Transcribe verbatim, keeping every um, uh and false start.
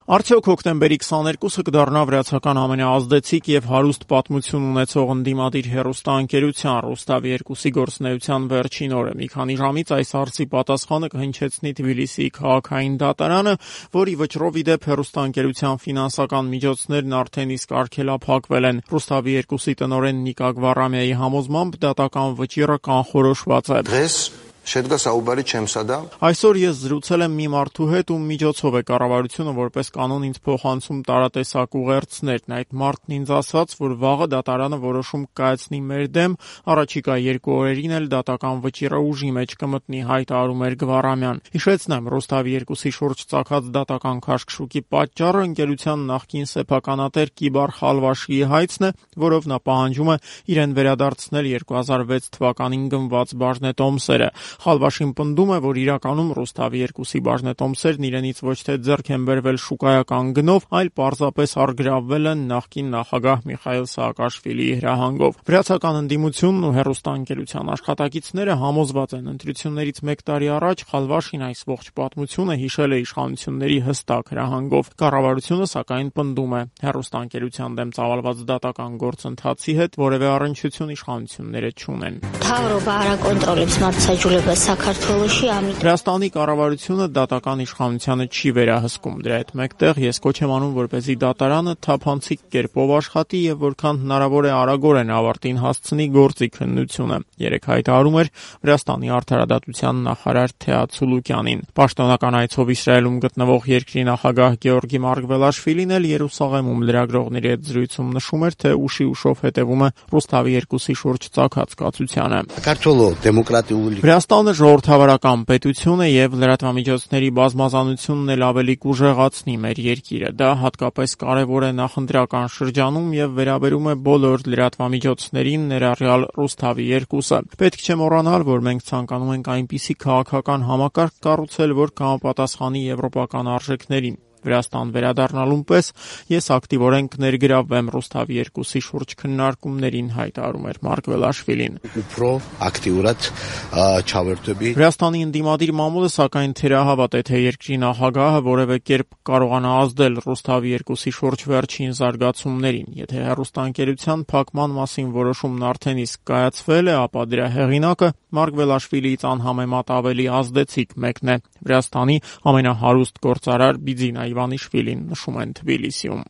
Արդյոք հոկտեմբերի քսաներկուսը կդառնա վրացական ամենաազդեցիկ եւ հարուստ պատմություն ունեցող ընդդիմադիր հեռուստաընկերության Ռուստավի երկուսի գործունեության վերջին օրը։ Մի քանի ժամից այս հարցի պատասխանը կհնչեցնի Թբիլիսիի քաղաքային դատարանը, որի վճռով ի դեպ հեռուստաընկերության ֆինանսական միջոցներն արդեն իսկ արգելափակվել են։ Ռուստավի երկուսի տնօրեն Նիկա Գվարամյայի համոզմամբ դատական վճիռը կանխորոշված է։ Շեդգա Սաուբարի չեմսադա Այսօր ես զրուցել եմ մի մարդու հետ, ում միջոցով է կառավարությունը որպես կանոն ինձ փոխանցում տարատեսակ ուղերձներն։ Այդ մարդն ինձ ասաց, որ վաղը դատարանը որոշում կայացնի մեր դեմ, առաջիկա երկու օրերին էլ դատական վճիռը ուժի մեջ կմտնի, հայտարարում էր Գվարամյան։ Հիշեցնեմ, Ռուստավի երկուսի շուրջ ծագած դատական քաշքշուկի պատճառը ընկերության նախկին սեփականատեր Կիբար Խալվաշիի հայցն է, որով նա պահանջում է իրեն վերադարձնել երկու հազար վեց թվականին գնված բաժնետոմսերը։ Խալվաշին պնդում է, որ իրականում Ռուստավի երկուսի բաժնետոմսերն իրենից ոչ թե ձեռք են բերվել շուկայական գնով, այլ պարզապես առգրավվել են նախկին նախագահ Միխայիլ Սաակաշվիլիի հրահանգով։ Վրացական ընդդիմությունն ու հեռուստաընկերության աշխատակիցները համոզված են, ընտրություններից մեկ տարի առաջ Խալվաշին այս ողջ պատմությունը հիշել է իշխանությունների հստակ հրահանգով։ Կառավարությունը սակայն պնդում է, հեռուստաընկերության դեմ ծավալված դատական գործընթացի հետ որևէ առնչություն իշխանությունները չունեն։ Վրաստանի կառավարությունը դատական իշխանությանը չի վերահսկում։ Դրա հետ մեկտեղ ես կոչ եմ անում, որպեսզի դատարանը թափանցիկ կերպով աշխատի եւ որքան հնարավոր է արագորեն ավարտին հասցնի գործի քննությունը։ Երեկ հայտարարում էր Վրաստանի արդարադատության նախարար Թեա Ցուլուկյանին։ Պաշտոնական այցով Իսրայելում գտնվող երկրի նախագահ Գեորգի Մարգվելաշվիլին էլ Երուսաղեմում լրագրողների հետ զրույցում նշում էր, թե ուշի ուշով հետևում է Ռուստավի երկուսի շուրջ ծագած կացությանը։ Վրաստանը ժողովրդավարական պետություն է եւ լրատվամիջոցների բազմազանությունն էլ ավելի կուժեղացնի մեր երկիրը։ Դա հատկապես կարեւոր է նախընտրական շրջանում եւ վերաբերում է բոլոր լրատվամիջոցներին, ներառյալ Ռուստավի երկուսը։ Պետք չէ մոռանալ, որ մենք ցանկանում ենք այնպիսի քաղաքական համակարգ կառուցել, որ կհամապատասխանի եվրոպական արժեքներին։ Վրաստան վերադառնալուն պես ես ակտիվորեն կներգրավվեմ Ռուստավի երկուսի շուրջ քննարկումներին, հայտարարում էր Մարգվելաշվիլին։ Վրաստանի ընդդիմադիր մամուլը սակայն թերահավատ է, թե երկրի նախագահը որևէ կերպ կարողանա ազդել Ռուստավի երկուսի շուրջ վերջին զարգացումներին։ Եթե հեռուստաընկերության փակման մասին որոշումն արդեն իսկ կայացվել է, ապա դրա հեղինակը Մարգվելաշվիլիից անհամեմատ ավելի ազդեցիկ մեկն է։ Վրաստանի ամենահարուստ գործարար Բիձինա Իվանիշվիլին, նշում են Թբիլիսիում։